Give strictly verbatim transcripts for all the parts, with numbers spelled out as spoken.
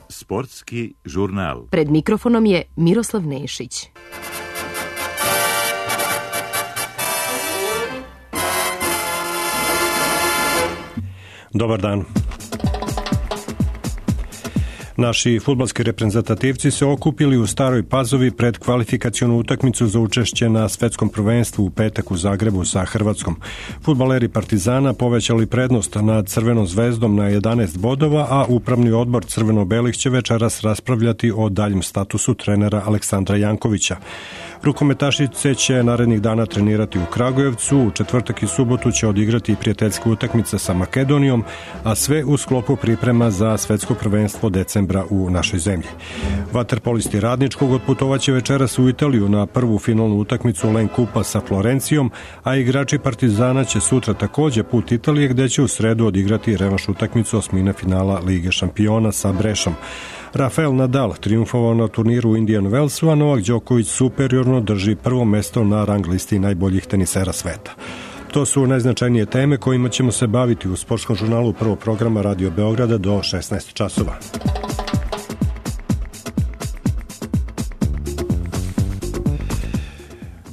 Sportski žurnal. Pred mikrofonom je Miroslav Nešić. Dobar dan. Naši fudbalski reprezentativci se okupili u Staroj Pazovi pred kvalifikacionu utakmicu za učešće na svetskom prvenstvu u petak u Zagrebu sa Hrvatskom. Fudbaleri Partizana povećali prednost nad Crvenom zvezdom na jedanaest bodova, a upravni odbor crveno-belih će večeras raspravljati o daljem statusu trenera Aleksandra Jankovića. Rukometašice će narednih dana trenirati u Kragujevcu, u četvrtak i subotu će odigrati prijateljska utakmica sa Makedonijom, a sve u sklopu priprema za svetsko prvenstvo decembra u našoj zemlji. Vaterpolisti Radničkog otputovaće večeras u Italiju na prvu finalnu utakmicu Len Kupa sa Florencijom, a igrači Partizana će sutra takođe put Italije, gde će u sredu odigrati revanš utakmicu osmine finala Lige šampiona sa Brešom. Rafael Nadal triumfovao na turniru u Indian Wellsu, a Novak Đoković superiorno drži prvo mesto na rang listi najboljih tenisera sveta. To su najznačajnije teme kojima ćemo se baviti u sportskom žurnalu prvog programa Radio Beograda do šesnaest časova.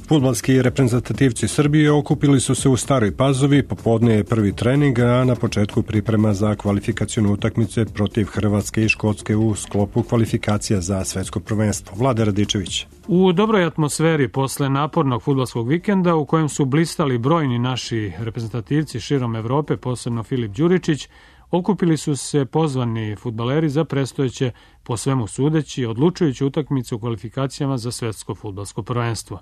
Fudbalski reprezentativci Srbije okupili su se u Staroj Pazovi, popodne je prvi trening, a na početku priprema za kvalifikacionu utakmice protiv Hrvatske i Škotske u sklopu kvalifikacija za svetsko prvenstvo. Vlada Radičević. U dobroj atmosferi posle napornog fudbalskog vikenda u kojem su blistali brojni naši reprezentativci širom Evrope, posebno Filip Đuričić, okupili su se pozvani fudbaleri za predstojeće, po svemu sudeći, odlučujući utakmicu u kvalifikacijama za svetsko fudbalsko prvenstvo.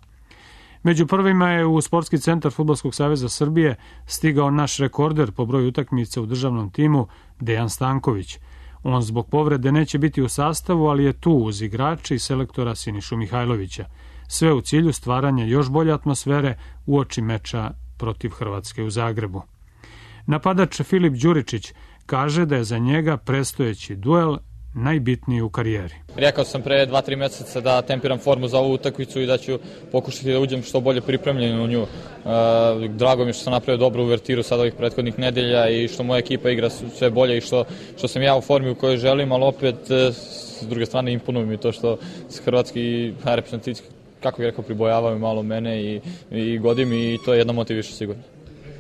Među prvima je u Sportski centar Fudbalskog saveza Srbije stigao naš rekorder po broju utakmica u državnom timu Dejan Stanković. On zbog povrede neće biti u sastavu, ali je tu uz igrače i selektora Sinišu Mihajlovića. Sve u cilju stvaranja još bolje atmosfere uoči meča protiv Hrvatske u Zagrebu. Napadač Filip Đuričić kaže da je za njega predstojeći duel najbitniji u karijeri. Rekao sam pre dva tri meseca da tempiram formu za ovu utakmicu i da ću pokušati da uđem što bolje pripremljen u nju. Drago mi je što sam napravio dobru uvertiru sad ovih prethodnih nedelja i što moja ekipa igra sve bolje i što, što sam ja u formi u kojoj želim, ali opet s druge strane imponuje mi to što hrvatski reprezentativci, kako bih rekao, pribojavaju malo mene i, i godi mi i to je jedna motiv više sigurno.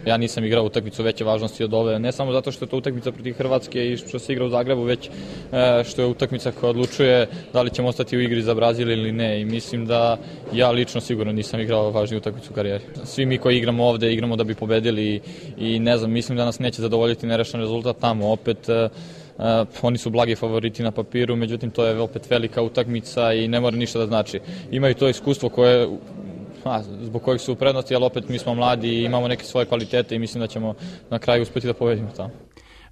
Ja nisam igrao utakmicu veće važnosti od ove, ne samo zato što je to utakmica protiv Hrvatske i što se igra u Zagrebu, već što je utakmica koja odlučuje da li ćemo ostati u igri za Brazil ili ne. I mislim da ja lično sigurno nisam igrao važniju utakmicu u karijeri. Svi mi koji igramo ovde, igramo da bi pobedili i ne znam, mislim da nas neće zadovoljiti nerešen rezultat tamo. Opet, Uh, oni su blagi favoriti na papiru, međutim to je opet velika utakmica i ne mora ništa da znači. Imaju to iskustvo koje A, zbog kojih su u prednosti, ali opet mi smo mladi i imamo neke svoje kvalitete i mislim da ćemo na kraju uspeti da pobedimo tamo.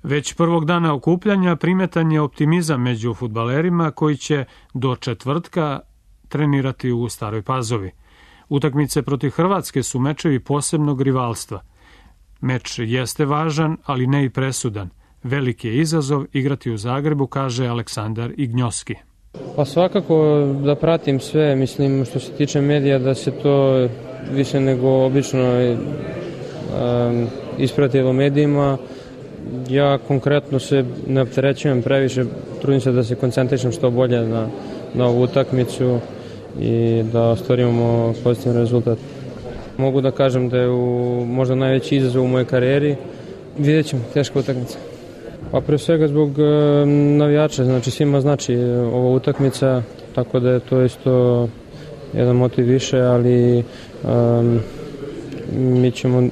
Već prvog dana okupljanja primetan je optimizam među fudbalerima koji će do četvrtka trenirati u Staroj Pazovi. Utakmice protiv Hrvatske su mečevi posebnog rivalstva. Meč jeste važan, ali ne i presudan. Veliki je izazov igrati u Zagrebu, kaže Aleksandar Ignjoski. Pa svakako da pratim sve, mislim što se tiče medija da se to više nego obično um, ispratilo u medijima. Ja konkretno se ne opterećujem previše, trudim se da se koncentrišem što bolje na, na ovu utakmicu i da ostvarimo pozitivan rezultat. Mogu da kažem da je u, možda najveći izazov u mojoj karijeri. Vidjet ćemo, teška utakmica. Pa pre svega zbog e, navijača, znači svima znači ova utakmica, tako da je to isto jedan motiv više, ali e, mi ćemo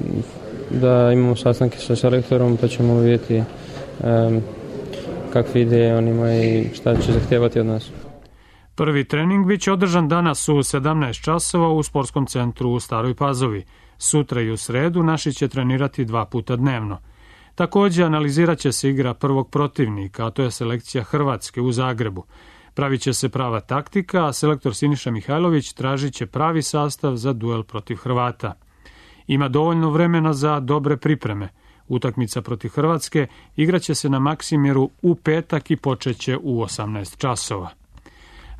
da imamo sastanke sa selektorom pa ćemo vidjeti e, kakve ideje on ima i šta će zahtijevati od nas. Prvi trening biće održan danas u sedamnaest časova u Sportskom centru u Staroj Pazovi. Sutra i u sredu naši će trenirati dva puta dnevno. Također analizirat će se igra prvog protivnika, a to je selekcija Hrvatske u Zagrebu. Pravit će se prava taktika, a selektor Siniša Mihajlović tražit će pravi sastav za duel protiv Hrvata. Ima dovoljno vremena za dobre pripreme. Utakmica protiv Hrvatske igraće se na Maksimiru u petak i počeće u osamnaest časova.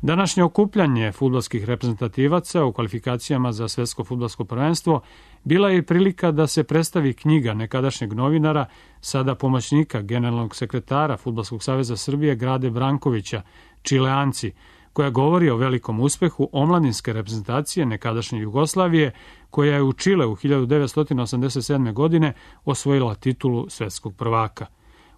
Današnje okupljanje fudbalskih reprezentativaca u kvalifikacijama za svetsko fudbalsko prvenstvo bila je i prilika da se predstavi knjiga nekadašnjeg novinara, sada pomoćnika generalnog sekretara Fudbalskog saveza Srbije Grade Brankovića, Čileanci, koja govori o velikom uspehu omladinske reprezentacije nekadašnje Jugoslavije, koja je u Čileu hiljadu devetsto osamdeset sedme. godine osvojila titulu svetskog prvaka.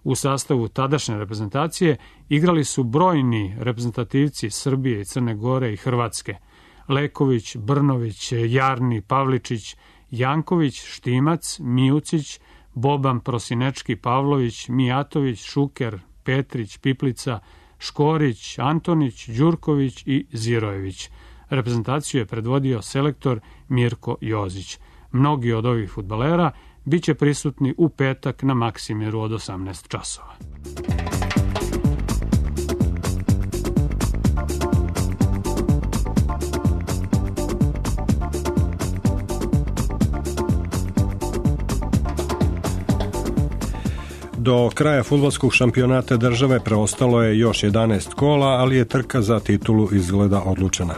U sastavu tadašnje reprezentacije igrali su brojni reprezentativci Srbije, i Crne Gore i Hrvatske. Leković, Brnović, Jarni, Pavličić, Janković, Štimac, Mijucić, Boban, Prosinečki, Pavlović, Mijatović, Šuker, Petrić, Piplica, Škorić, Antonić, Đurković i Zirojević. Reprezentaciju je predvodio selektor Mirko Jozić. Mnogi od ovih fudbalera biće prisutni u petak na Maksimiru od osamnaest časova. Do kraja fudbalskog šampionata države preostalo je još jedanaest kola, ali je trka za titulu izgleda odlučena.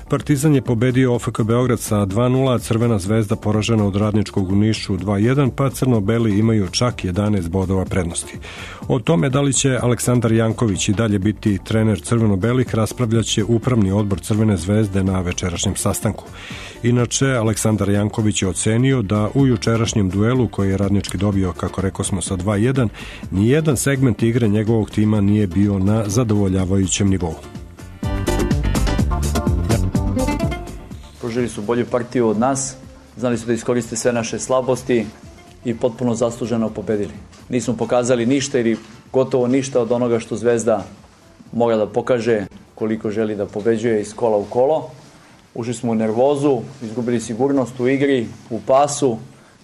Partizan je pobedio O F K Beograd sa dva nula, a Crvena zvezda poražena od Radničkog u Nišu dva jedan, pa crno-beli imaju čak jedanaest bodova prednosti. O tome da li će Aleksandar Janković i dalje biti trener crveno-belih raspravljaće upravni odbor Crvene zvezde na večerašnjem sastanku. Inače, Aleksandar Janković je ocenio da u jučerašnjem duelu koji je Radnički dobio, kako rekao smo, sa dva jedan, nijedan segment igre njegovog tima nije bio na zadovoljavajućem nivou. Pružili su bolju partiju od nas, znali su da iskoriste sve naše slabosti i potpuno zasluženo pobedili. Nismo pokazali ništa ili gotovo ništa od onoga što Zvezda mora da pokaže koliko želi da pobeđuje iz kola u kolo. Ušli smo u nervozu, izgubili sigurnost u igri, u pasu,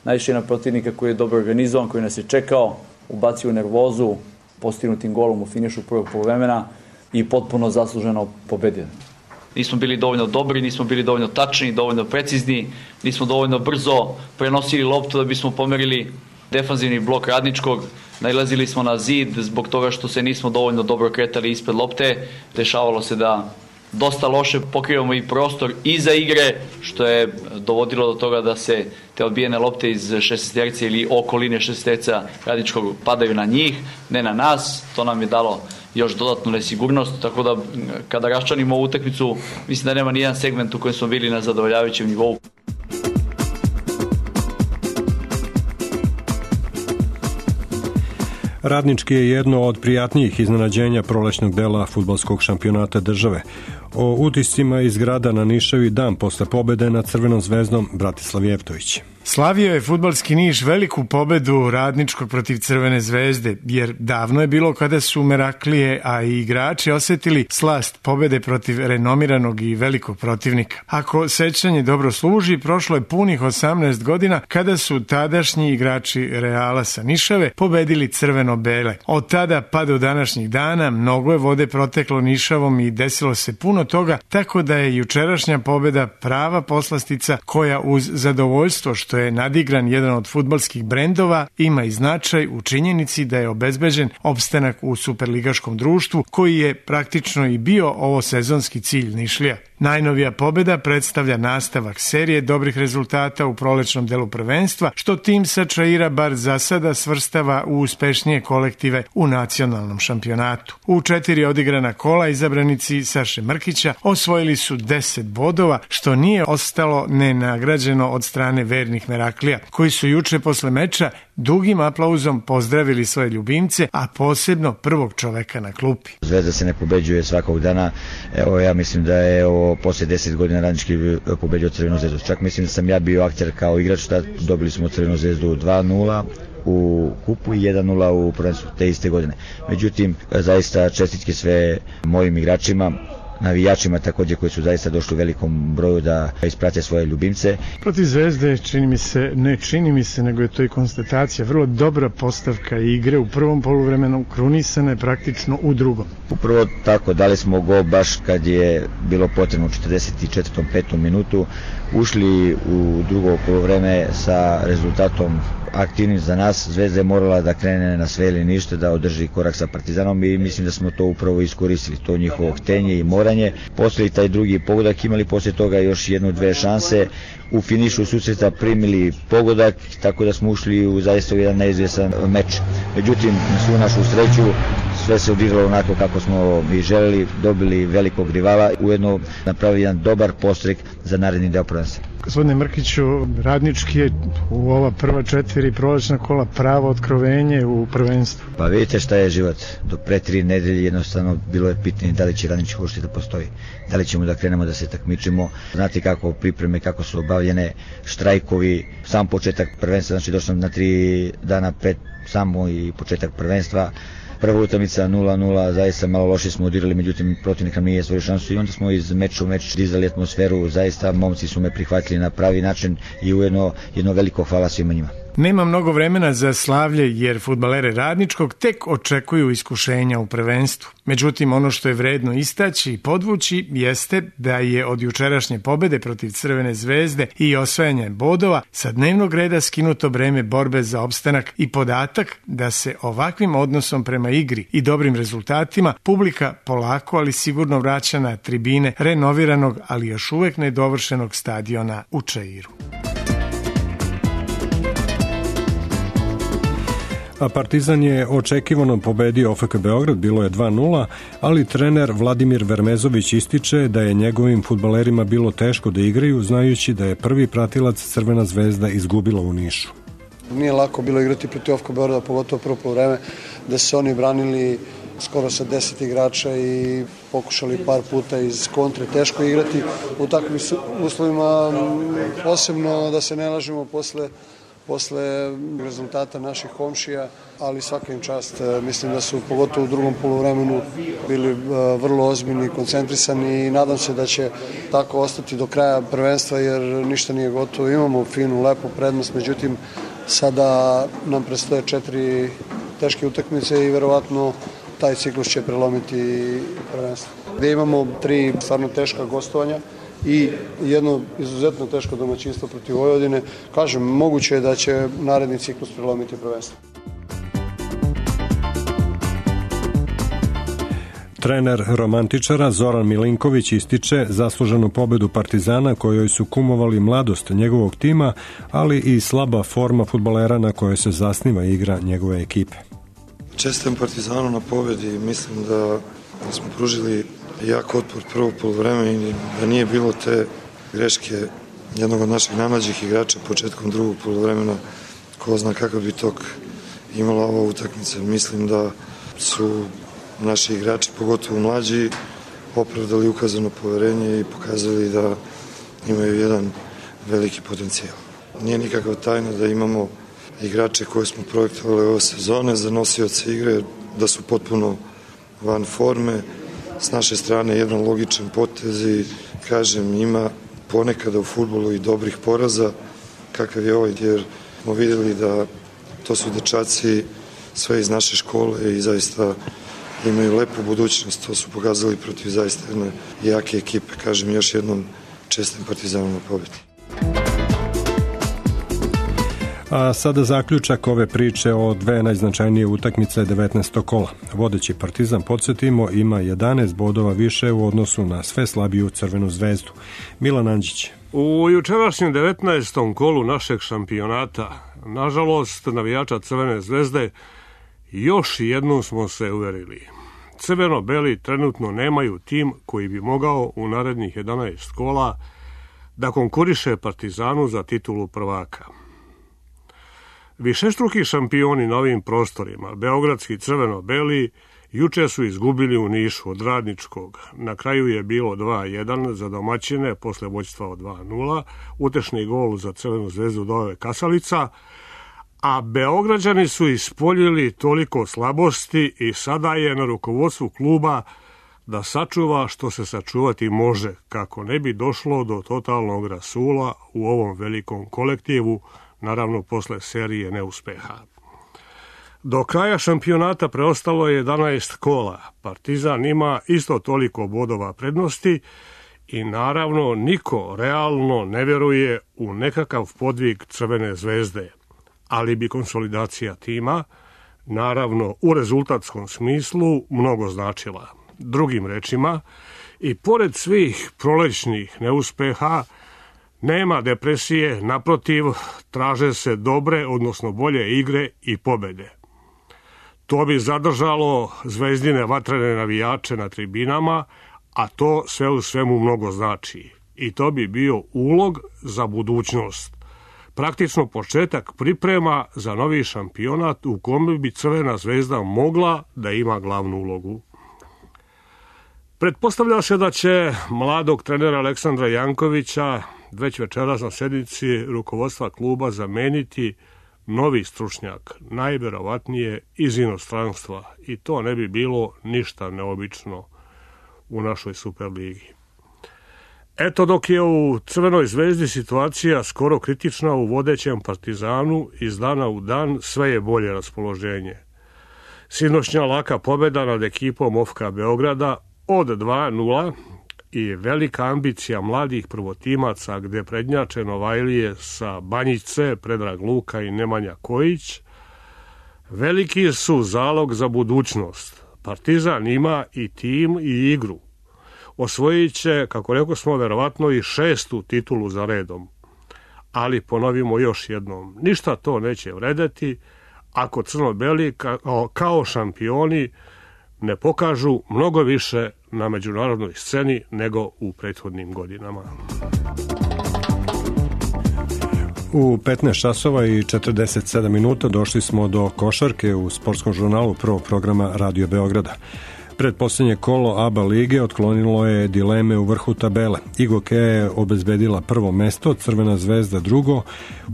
naišli na protivnika koji je dobro organizovan, koji nas je čekao, ubacio u nervozu, postignutim golom u finišu prvog poluvremena i potpuno zasluženo pobedio. Nismo bili dovoljno dobri, nismo bili dovoljno tačni, dovoljno precizni, nismo dovoljno brzo prenosili loptu da bismo pomerili defanzivni blok Radničkog. Nailazili smo na zid zbog toga što se nismo dovoljno dobro kretali ispred lopte. Dešavalo se da dosta loše pokrivamo i prostor iza igre, što je dovodilo do toga da se te odbijene lopte iz šestesterca ili okoline šestesterca Radničkog padaju na njih, ne na nas. To nam je dalo još dodatnu nesigurnost, tako da kada raščlanimo ovu utakmicu, mislim da nema nijedan segment u kojem smo bili na zadovoljavajućem nivou. Radnički je jedno od prijatnijih iznenađenja prolećnog dela fudbalskog šampionata države. O utiscima iz grada na Nišavi dan posle pobede nad Crvenom zvezdom Bratislav Jevtović. Slavio je fudbalski Niš veliku pobedu Radničkog protiv Crvene zvezde, jer davno je bilo kada su Meraklije, a i igrači osetili slast pobede protiv renomiranog i velikog protivnika. Ako sećanje dobro služi, prošlo je punih osamnaest godina kada su tadašnji igrači Reala sa Nišave pobedili crveno-bele. Od tada pa do današnjih dana mnogo je vode proteklo Nišavom i desilo se puno toga, tako da je jučerašnja pobeda prava poslastica koja uz zadovoljstvo što je nadigran jedan od fudbalskih brendova, ima i značaj u činjenici da je obezbeđen opstanak u superligaškom društvu, koji je praktično i bio ovo sezonski cilj Nišlija. Najnovija pobeda predstavlja nastavak serije dobrih rezultata u prolećnom delu prvenstva, što tim sa Čaira bar za sada svrstava u uspešnije kolektive u nacionalnom šampionatu. U četiri odigrana kola izabranici Saše Mrkića osvojili su deset bodova, što nije ostalo nenagrađeno od strane vernih Meraklija, koji su juče posle meča dugim aplauzom pozdravili svoje ljubimce, a posebno prvog čoveka na klupi. Zvezda se ne pobeđuje svakog dana. Evo, ja mislim da je ovo posle deset godina Radnički pobeđio Crvenu zvezdu. Čak mislim da sam ja bio akter kao igrač, tad dobili smo Crvenu zvezdu dva nula u kupu i jedan nula u prvenstvu te iste godine. Međutim, zaista čestitke sve mojim igračima, navijačima također koji su zaista došli u velikom broju da isprate svoje ljubimce. Protiv Zvezde čini mi se, ne čini mi se, nego je to i konstatacija, vrlo dobra postavka igre u prvom poluvremenu, krunisana je praktično u drugom. Upravo tako, dali smo gol baš kad je bilo potrebno u četrdeset četvrtom petom minutu, ušli u drugo poluvreme sa rezultatom aktivnim za nas. Zvezda je morala da krene na sve ili ništa, da održi korak sa Partizanom i mislim da smo to upravo iskoristili, to njihovo htenje i moranje. Poslije taj drugi pogodak, imali poslije toga još jednu, dve šanse, u finišu susreta primili pogodak, tako da smo ušli u zaista jedan neizvjesan meč. Međutim, na svu našu sreću, sve se odigralo onako kako smo i želeli, dobili velikog rivala, ujedno napravili jedan dobar postrek za naredni deo prvenstva. Gospodine Mrkiću, Radnički je u ova prva četiri prolačna kola pravo otkrovenje u prvenstvu. Pa vidite šta je život. Do pre tri nedelje jednostavno bilo je pitanje da li će Radnički uopšte da postoji. Da li ćemo da krenemo da se takmičimo. Znate kako pripreme, kako su obavljene, štrajkovi, sam početak prvenstva, znači došao sam na tri dana pred samo i početak prvenstva. Prva utakmica nula nula, zaista malo loše smo odirali, međutim protivnik nam nije stvorio šansu i onda smo iz meča u meč dizali atmosferu, zaista momci su me prihvatili na pravi način i ujedno jedno veliko hvala svima njima. Nema mnogo vremena za slavlje jer fudbalere Radničkog tek očekuju iskušenja u prvenstvu. Međutim, ono što je vredno istaći i podvući jeste da je od jučerašnje pobede protiv Crvene zvezde i osvajanja bodova sa dnevnog reda skinuto breme borbe za opstanak i podatak da se ovakvim odnosom prema igri i dobrim rezultatima publika polako ali sigurno vraća na tribine renoviranog ali još uvek nedovršenog stadiona u Čairu. A Partizan je očekivano pobedio O F K Beograd, bilo je dva nula, ali trener Vladimir Vermezović ističe da je njegovim fudbalerima bilo teško da igraju, znajući da je prvi pratilac Crvena zvezda izgubila u Nišu. Nije lako bilo igrati protiv O F K Beograda, pogotovo prvo poluvreme, da se oni branili skoro sa deset igrača i pokušali par puta iz kontre teško igrati u takvim uslovima, posebno da se ne lažemo posle posle rezultata naših komšija, ali svaka im čast. Mislim da su pogotovo u drugom poluvremenu bili vrlo ozbiljni i koncentrisani i nadam se da će tako ostati do kraja prvenstva jer ništa nije gotovo. Imamo finu, lepu prednost, međutim sada nam predstoje četiri teške utakmice i verovatno taj ciklus će prelomiti prvenstvo. Gde imamo tri stvarno teška gostovanja i jedno izuzetno teško domaćinstvo protiv Vojvodine. Kažem, moguće je da će naredni ciklus prelomiti prvenstvo. Trener romantičara Zoran Milinković ističe zasluženu pobedu Partizana kojoj su kumovali mladost njegovog tima, ali i slaba forma fudbalera na kojoj se zasniva igra njegove ekipe. Čestitam Partizanu na pobedi, mislim da smo pružili jak otpor prvo poluvreme i da nije bilo te greške jednog od naših najmlađih igrača početkom drugog poluvremena, ko zna kakav bi tok imala ova utakmica. Mislim da su naši igrači, pogotovo mlađi, opravdali ukazano poverenje i pokazali da imaju jedan veliki potencijal. Nije nikakva tajna da imamo igrače koje smo projektovali ove sezone za nosioce igre, da su potpuno van forme. S naše strane jedan logičan potez i kažem, ima ponekada u fudbalu i dobrih poraza kakav je ovaj, jer smo vidjeli da to su dečaci sve iz naše škole i zaista imaju lepu budućnost. To su pokazali protiv zaista jedne jake ekipe. Kažem još jednom, čestim Partizanu na pobedi. A sada zaključak ove priče o dve najznačajnije utakmice devetnaestog kola. Vodeći Partizan, podsjetimo, ima jedanaest bodova više u odnosu na sve slabiju Crvenu zvezdu. Milan Andžić. U jučerašnjem devetnaestom kolu našeg šampionata, nažalost, navijača Crvene zvezde, još jednom smo se uverili. Crveno-beli trenutno nemaju tim koji bi mogao u narednih jedanaest kola da konkuriše Partizanu za titulu prvaka. Višestruki šampioni na ovim prostorima, beogradski crveno-beli, juče su izgubili u Nišu od Radničkog. Na kraju je bilo dva jedan za domaćine posle vođstva od dva nula. Utešni gol za Crvenu zvezdu dao je Kasalica, a Beograđani su ispoljili toliko slabosti i sada je na rukovodstvu kluba da sačuva što se sačuvati može, kako ne bi došlo do totalnog rasula u ovom velikom kolektivu, naravno posle serije neuspeha. Do kraja šampionata preostalo je jedanaest kola. Partizan ima isto toliko bodova prednosti i naravno niko realno ne veruje u nekakav podvig Crvene zvezde. ali bi konsolidacija tima, naravno u rezultatskom smislu, mnogo značila. Drugim rečima, i pored svih prolećnih neuspeha, nema depresije, naprotiv, traže se dobre, odnosno bolje igre i pobede. To bi zadržalo zvezdine vatrene navijače na tribinama, a to sve u svemu mnogo znači. I to bi bio ulog za budućnost. Praktično početak priprema za novi šampionat u kome bi Crvena zvezda mogla da ima glavnu ulogu. Pretpostavlja se da će mladog trenera Aleksandra Jankovića već večeras na sednici rukovodstva kluba zameniti novi stručnjak, najverovatnije iz inostranstva, i to ne bi bilo ništa neobično u našoj Superligi. Eto, dok je u Crvenoj zvezdi situacija skoro kritična, u vodećem Partizanu iz dana u dan sve je bolje raspoloženje. Sinoćnja laka pobjeda nad ekipom O F K Beograda od dva nula i velika ambicija mladih prvotimaca gde prednjače Novajlije sa Banjice, Predrag Luka i Nemanja Kojić, veliki su zalog za budućnost. Partizan ima i tim i igru. Osvojit će, kako rekao smo, verovatno i šestu titulu za redom. Ali ponovimo još jednom, ništa to neće vredeti ako crno-beli kao, kao šampioni ne pokažu mnogo više na međunarodnoj sceni nego u prethodnim godinama. U petnaest časova i četrdeset sedam minuta došli smo do košarke u sportskom žurnalu prvog programa Radio Beograda. Predposlednje kolo A B A lige otklonilo je dileme u vrhu tabele. Igoke je obezbedila prvo mesto, Crvena zvezda drugo.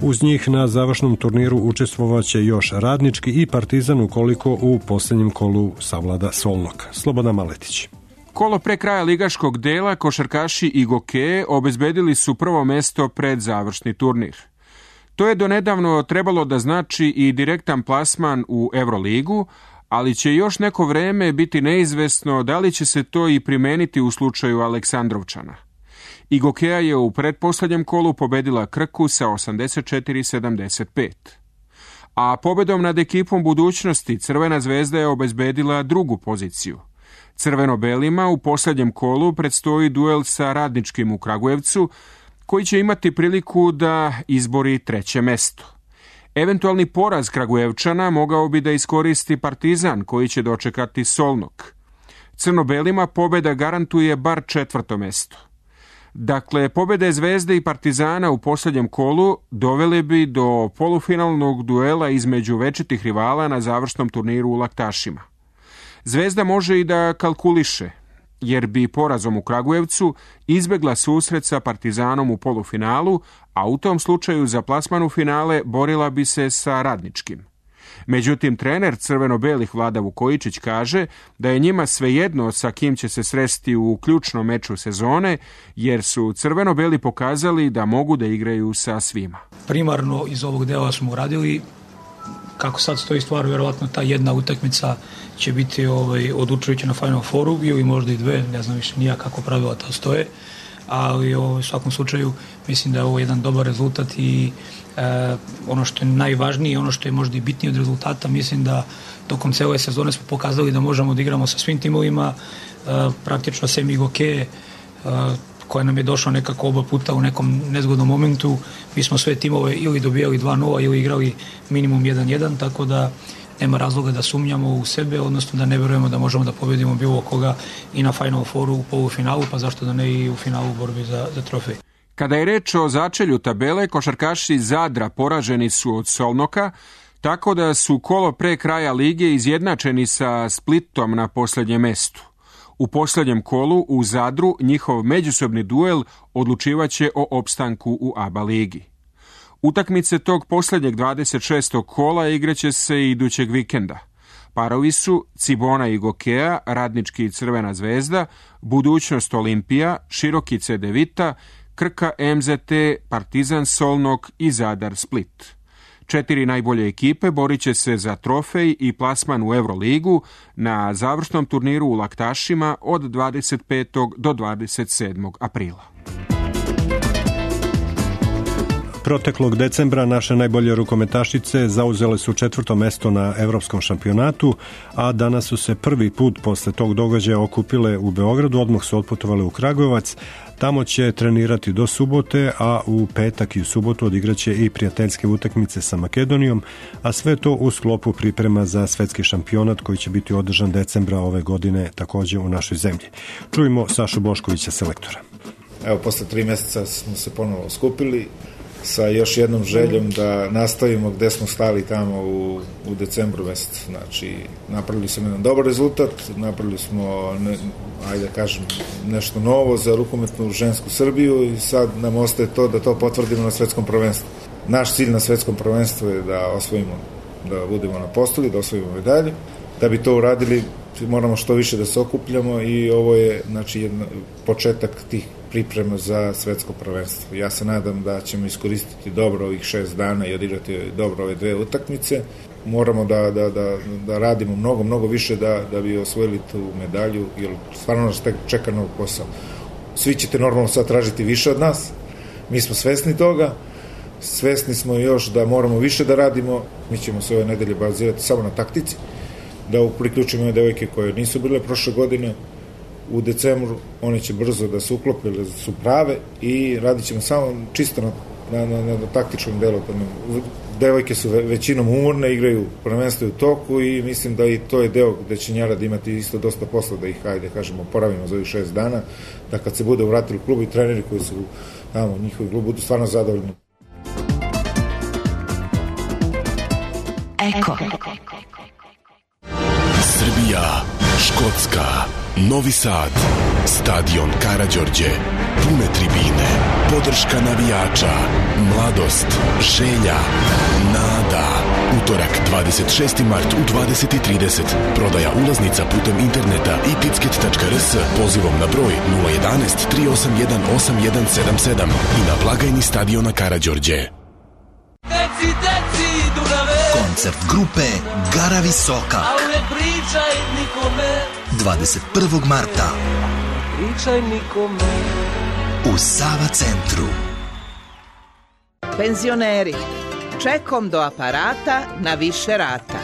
Uz njih na završnom turniru učestvovaće još Radnički i Partizan ukoliko u poslednjem kolu savlada Solnok. Slobodan Maletić. Kolo pre kraja ligaškog dela košarkaši Igoke obezbedili su prvo mesto pred završni turnir. To je donedavno trebalo da znači i direktan plasman u Euroligu, ali će još neko vreme biti neizvesno da li će se to i primeniti u slučaju Aleksandrovčana. Igokea je u pretposlednjem kolu pobedila Krku sa osamdeset četiri sedamdeset pet. A pobedom nad ekipom budućnosti Crvena zvezda je obezbedila drugu poziciju. Crveno-belima u poslednjem kolu predstoji duel sa Radničkim u Kragujevcu, koji će imati priliku da izbori treće mesto. Eventualni poraz Kragujevčana mogao bi da iskoristi Partizan, koji će dočekati Solnok. Crno-belima pobeda garantuje bar četvrto mesto. Dakle, pobede Zvezde i Partizana u posljednjem kolu dovele bi do polufinalnog duela između večitih rivala na završnom turniru u Laktašima. Zvezda može i da kalkuliše, jer bi porazom u Kragujevcu izbegla susret sa Partizanom u polufinalu, a u tom slučaju za plasman u finale borila bi se sa Radničkim. Međutim, trener crveno-belih Vlada Vukojičić kaže da je njima svejedno sa kim će se sresti u ključnom meču sezone, jer su crveno-beli pokazali da mogu da igraju sa svima. Primarno iz ovog dela smo uradili. Kako sad stoji stvar, vjerovatno ta jedna utakmica će biti ovaj, odlučujuća na Final Fouru, ili možda i dve, ne znam više nija kako pravila to stoje, ali ovaj, u svakom slučaju mislim da je ovo jedan dobar rezultat i e, ono što je najvažnije, ono što je možda i bitnije od rezultata, mislim da tokom cele sezone smo pokazali da možemo da igramo sa svim timovima, e, praktično sem Igoke, e, koja nam je došla nekako oba puta u nekom nezgodnom momentu. Mi smo sve timove ili dobijali dva nula ili igrali minimum jedan jedan, tako da nema razloga da sumnjamo u sebe, odnosno da ne verujemo da možemo da pobedimo bilo koga i na Final Fouru u polufinalu, pa zašto da ne i u finalu borbi za, za trofej. Kada je reč o začelju tabele, košarkaši Zadra poraženi su od Solnoka, tako da su kolo pre kraja lige izjednačeni sa Splitom na poslednjem mestu. U posljednjem kolu u Zadru njihov međusobni duel odlučivaće o opstanku u A B A ligi. Utakmice tog posljednjeg dvadeset šestog kola igraće se i idućeg vikenda. Parovi su Cibona i Gokea, Radnički i Crvena zvezda, Budućnost Olimpija, Široki C D Vita, Krka M Z T, Partizan Solnok i Zadar Split. Četiri najbolje ekipe borit će se za trofej i plasman u Euroligu na završnom turniru u Laktašima od dvadeset petog do dvadeset sedmog aprila. Proteklog decembra naše najbolje rukometašice zauzele su četvrto mesto na evropskom šampionatu, a danas su se prvi put posle tog događaja okupile u Beogradu, odmah su otputovale u Kragujevac. Tamo će trenirati do subote, a u petak i u subotu odigraće i prijateljske utakmice sa Makedonijom, a sve to u sklopu priprema za svetski šampionat koji će biti održan decembra ove godine takođe u našoj zemlji. Čujemo Sašu Boškovića, selektora. Evo, posle tri meseca smo se ponovo skupili sa još jednom željom da nastavimo gde smo stali tamo u, u decembru mesecu. Znači, napravili smo jedan dobar rezultat, napravili smo, ne, ajde da kažem, nešto novo za rukometnu žensku Srbiju i sad nam ostaje to da to potvrdimo na svetskom prvenstvu. Naš cilj na svetskom prvenstvu je da osvojimo, da budemo na postolju, da osvojimo medalje. Da bi to uradili, moramo što više da se okupljamo i ovo je, znači, jedna, početak tih priprema za svetsko prvenstvo. Ja se nadam da ćemo iskoristiti dobro ovih šest dana i odigrati dobro ove dve utakmice. Moramo da, da, da, da radimo mnogo, mnogo više da, da bi osvojili tu medalju, jer stvarno nas čeka nov posao. Svi ćete normalno sad tražiti više od nas, mi smo svesni toga, svesni smo još da moramo više da radimo, mi ćemo se ove nedelje bazirati samo na taktici, da priključimo ove devojke koje nisu bile prošle godine, u decembru one će brzo da se uklope, da su prave i radit ćemo samo čisto na, na, na, na taktičkom delu. Devojke su većinom umorne, igraju prvenstvo u toku i mislim da i to je deo gde će Njarad imati isto dosta posla da ih, hajde, kažemo, poravimo za ovih šest dana, da kad se bude vratili u klubu i treneri koji su tamo, njihovi klub, budu stvarno zadovoljni. Eko. Srbija, Škotska, Novi Sad, stadion Karađorđe, pune tribine, podrška navijača, mladost, želja, nada. Utorak, dvadeset šesti mart u dvadeset i trideset. Prodaja ulaznica putem interneta i ticket tačka r s pozivom na broj nula jedan jedan tri osam jedan osam jedan sedam sedam i na blagajni stadiona Karađorđe. Deci, deci, Dunave. Koncert grupe Gara Visoka. Al ne pričaj nikome. dvadeset prvog marta. Pričaj nikome. U Sava centru. Penzioneri. Čekom do aparata na više rata.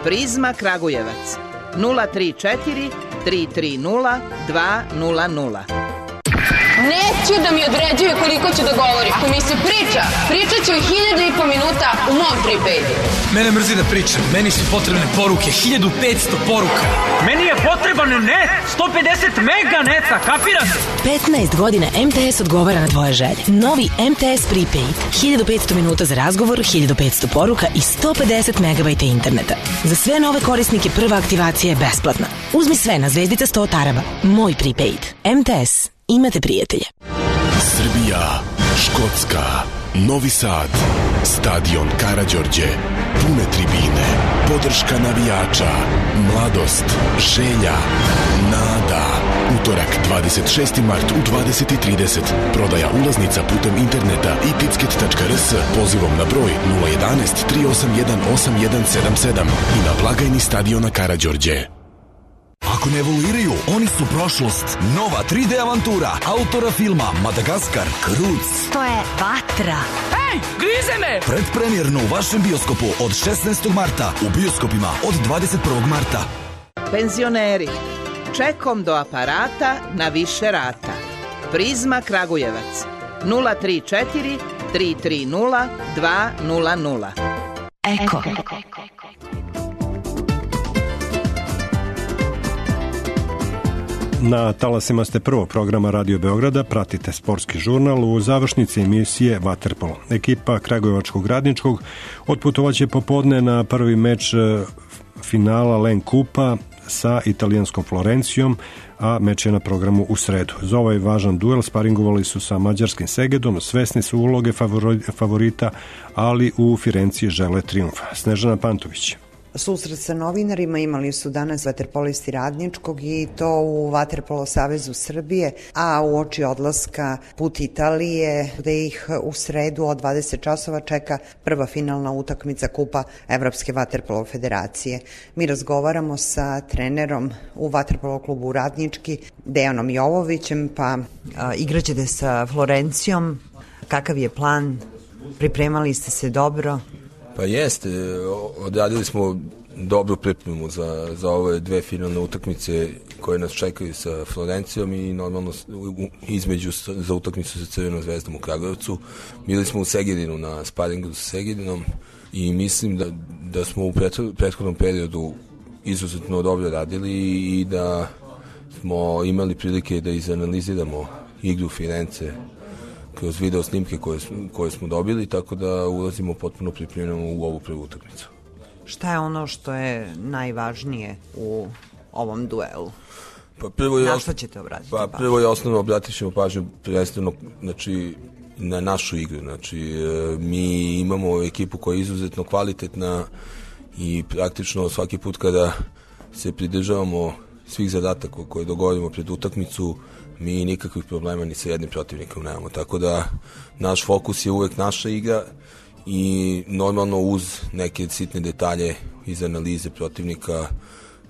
Prizma Kragujevac. nula tri četiri tri tri nula dva nula nula. Neću da mi određuje koliko ću da govorim. Ako mi se priča, pričat ću i hiljadu i po minuta u mom prepaydu. Mene mrzi da pričam, meni su potrebne poruke, hiljadu petsto poruka. Meni je potreban net, sto pedeset mega neta, kapirate? petnaest godina M T S odgovara na tvoje želje. Novi M T S prepaid, hiljadu petsto minuta za razgovor, hiljadu petsto poruka i sto pedeset megabajta interneta. Za sve nove korisnike prva aktivacija je besplatna. Uzmi sve na zvezdica sto taraba. Moj prepaid. M T S. Imate prijatelje. Srbija, Škotska, Novi Sad, stadion Karađorđe, pune tribine, podrška navijača, mladost, želja, nada. Utorak, dvadeset šesti mart u dvadeset i trideset. Prodaja ulaznica putem interneta i ticket tačka r s pozivom na broj nula jedan jedan tri osam jedan osam jedan sedam sedam i na blagajni stadiona Karađorđe. Ako ne evoluiraju, oni su prošlost. Nova tri D avantura autora filma Madagaskar, Kruc. To je vatra. Hej, grize me! Predpremjerno u vašem bioskopu od šesnaestog marta, u bioskopima od dvadeset prvog marta. Penzioneri. Čekom do aparata na više rata. Prizma Kragujevac. nula tri četiri tri tri nula dva nula nula. Eko. Na talasima ste prvog programa Radio Beograda, pratite sportski žurnal u završnici emisije Vaterpolo. Ekipa Kragujevačkog Radničkog otputovaće popodne na prvi meč finala Len Kupa sa italijanskom Florencijom, a meč je na programu u sredu. Za ovaj važan duel sparingovali su sa mađarskim Segedom, svesni su uloge favorita, ali u Firenciji žele trijumf. Snežana Pantović. Susret sa novinarima imali su danas vaterpolisti Radničkog i to u Vaterpolo savezu Srbije, a u oči odlaska put Italije, gde ih u sredu od dvadeset časova čeka prva finalna utakmica Kupa Evropske vaterpolo federacije. Mi razgovaramo sa trenerom u Vaterpolo klubu Radnički, Dejanom Jovovićem, pa a, igraćete sa Florencijom. Kakav je plan? Pripremali ste se dobro? Pa jeste, odradili smo dobru pripremu za, za ove dve finalne utakmice koje nas čekaju sa Florencijom i normalno između za utakmicu sa Crvenom zvezdom u Kragujevcu. Bili smo u Segedinu na sparingu sa Segedinom i mislim da, da smo u prethodnom periodu izuzetno dobro radili i da smo imali prilike da izanaliziramo igru Firence kroz video snimke koje, koje smo dobili, tako da ulazimo potpuno pripremljeno u ovu prvu utakmicu. Šta je ono što je najvažnije u ovom duelu? Pa prvo je na što ćete obratiti? Pa prvo je osnovno obratit ćemo pažnju prvenstveno, znači, na našu igru. Znači, mi imamo ekipu koja je izuzetno kvalitetna i praktično svaki put kada se pridržavamo svih zadataka koje dogovorimo pred utakmicu, mi nikakvih problema ni sa jednim protivnikom nemamo. Tako da naš fokus je uvek naša igra i normalno uz neke sitne detalje iz analize protivnika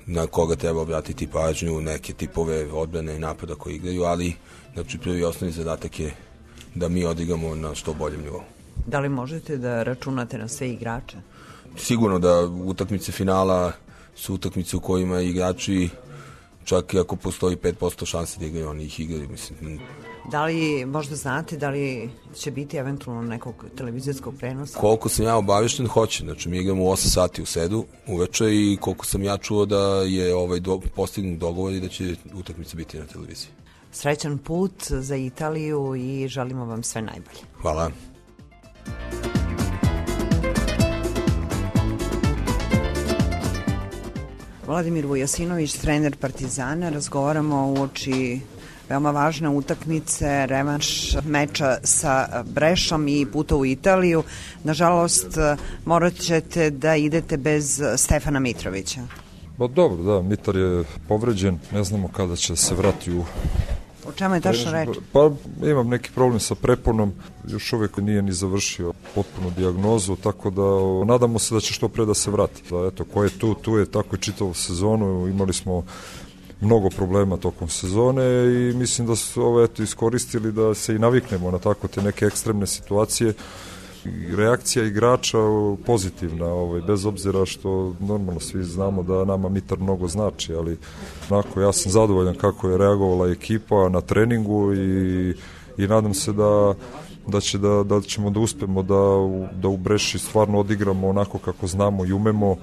na koga treba obratiti pažnju, neke tipove odbrane i napada koji igraju, ali znači prvi osnovni zadatak je da mi odigramo na što boljem nivou. Da li možete da računate na sve igrače? Sigurno da utakmice finala su utakmice u kojima igrači, čak i ako postoji pet posto šanse da igraju, oni ih igraju, mislim. Da li možda znate da li će biti eventualno nekog televizijskog prenosa? Koliko sam ja obavešten, hoće. Znači, mi igramo u osam sati u sredu uveče i koliko sam ja čuo da je ovaj do, postignut dogovor i da će utakmica biti na televiziji. Srećan put za Italiju i želimo vam sve najbolje. Hvala. Vladimir Vujasinović, trener Partizana, razgovaramo uoči veoma važne utakmice, revanš meča sa Brešom i puta u Italiju. Nažalost, morat ćete da idete bez Stefana Mitrovića. Ba dobro, da, Mitar je povređen, ne znamo kada će se vrati u... O čemu je tačno reč? Pa imam neki problem sa preponom, još uvijek nije ni završio potpunu dijagnozu, tako da o, nadamo se da će što pre da se vrati. Da, eto, ko je tu, tu je tako i čitavu sezonu, imali smo mnogo problema tokom sezone i mislim da su ovo eto iskoristili da se i naviknemo na tako te neke ekstremne situacije. Reakcija igrača pozitivna, ovaj, bez obzira što normalno svi znamo da nama Mitar mnogo znači, ali onako, ja sam zadovoljan kako je reagovala ekipa na treningu i, i nadam se da, da, će da, da ćemo da uspemo da, da u Breši stvarno odigramo onako kako znamo i umemo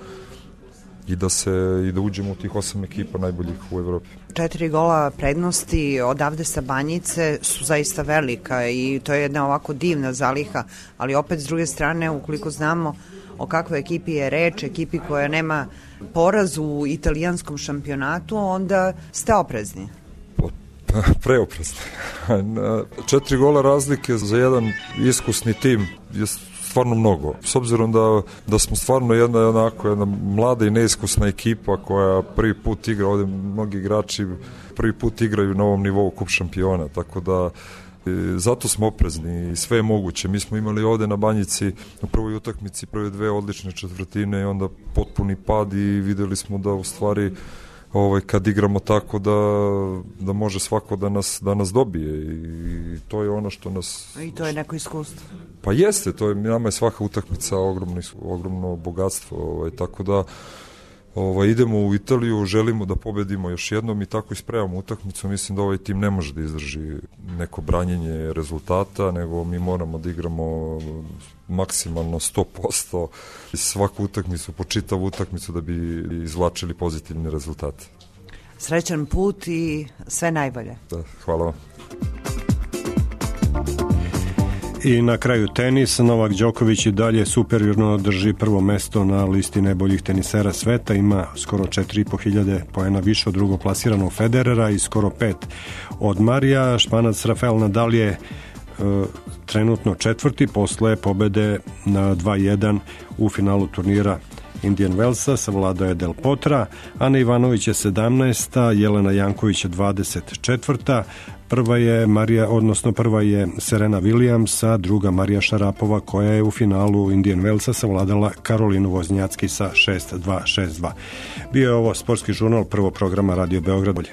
i da se i da uđemo u tih osam ekipa najboljih u Evropi. Četiri gola prednosti odavde sa Banjice su zaista velika i to je jedna ovako divna zaliha, ali opet s druge strane, ukoliko znamo o kakvoj ekipi je reč, ekipi koja nema poraz u italijanskom šampionatu, onda ste oprezni. Preoprezni. Četiri gola razlike za jedan iskusni tim je stvarno mnogo. S obzirom da, da smo stvarno jedna, onako, jedna mlada i neiskusna ekipa koja prvi put igra, ovdje mnogi igrači prvi put igraju na ovom nivou kup šampiona, tako da e, zato smo oprezni i sve je moguće. Mi smo imali ovdje na Banjici u prvoj utakmici prve dve odlične četvrtine i onda potpuni pad i vidjeli smo da u stvari ovaj, kad igramo tako da, da može svako da nas, da nas dobije i to je ono što nas... I to je neko iskustvo. Pa jeste, to je, nama je svaka utakmica ogromno, ogromno bogatstvo, ovaj, tako da ovaj, idemo u Italiju, želimo da pobedimo još jednom i tako ispremamo utakmicu. Mislim da ovaj tim ne može da izdrži neko branjenje rezultata, nego mi moramo da igramo maksimalno sto posto svaku utakmicu, po čitavu utakmicu da bi izvlačili pozitivne rezultate. Srećan put i sve najbolje. Da, hvala vam. I na kraju tenis, Novak Đoković i dalje superiorno drži prvo mesto na listi najboljih tenisera sveta, ima skoro četiri i po hiljade poena više od drugoplasiranog Federera i skoro pet od Marija. Španac Rafael Nadal je e, trenutno četvrti posle pobede na dva jedan u finalu turnira Indian Wellsa, savladao je Del Potra, Ana Ivanović je sedamnaesta, Jelena Janković je dvadeset četvrta, prva je Marija, odnosno prva je Serena Williams, a druga Marija Šarapova koja je u finalu Indian Wellsa savladala Karolinu Voznjacki sa šest dva šest dva. Bio je ovo sportski žurnal prvog programa Radio Beograd.